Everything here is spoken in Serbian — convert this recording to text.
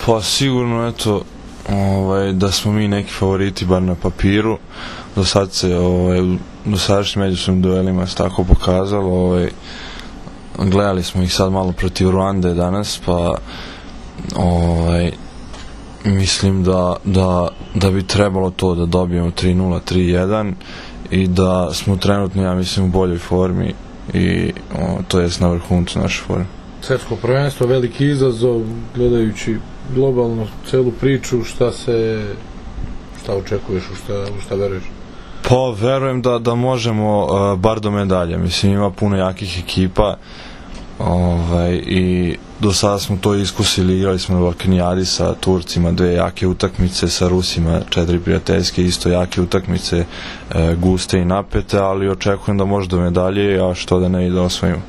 Pa sigurno, eto, da smo mi neki favoriti, bar na papiru. Do sad se u dosadašnjim međusobnim duelima se tako pokazalo. Gledali smo ih sad malo protiv Ruande danas, pa mislim da bi trebalo to da dobijemo 3-0, 3-1 i da smo trenutno, ja mislim, u boljoj formi i to jest na vrhuncu naše forme. Svetsko prvenstvo, veliki izazov, gledajući globalno celu priču, šta očekuješ, u šta veruješ? Pa verujem da možemo bar do medalje, mislim, ima puno jakih ekipa i do sada smo to iskusili, igrali smo na Balkanijadi sa Turcima 2 jake utakmice, sa Rusima 4 prijateljske isto jake utakmice, guste i napete, ali očekujem da može do medalje, a što da ne i da osvojimo.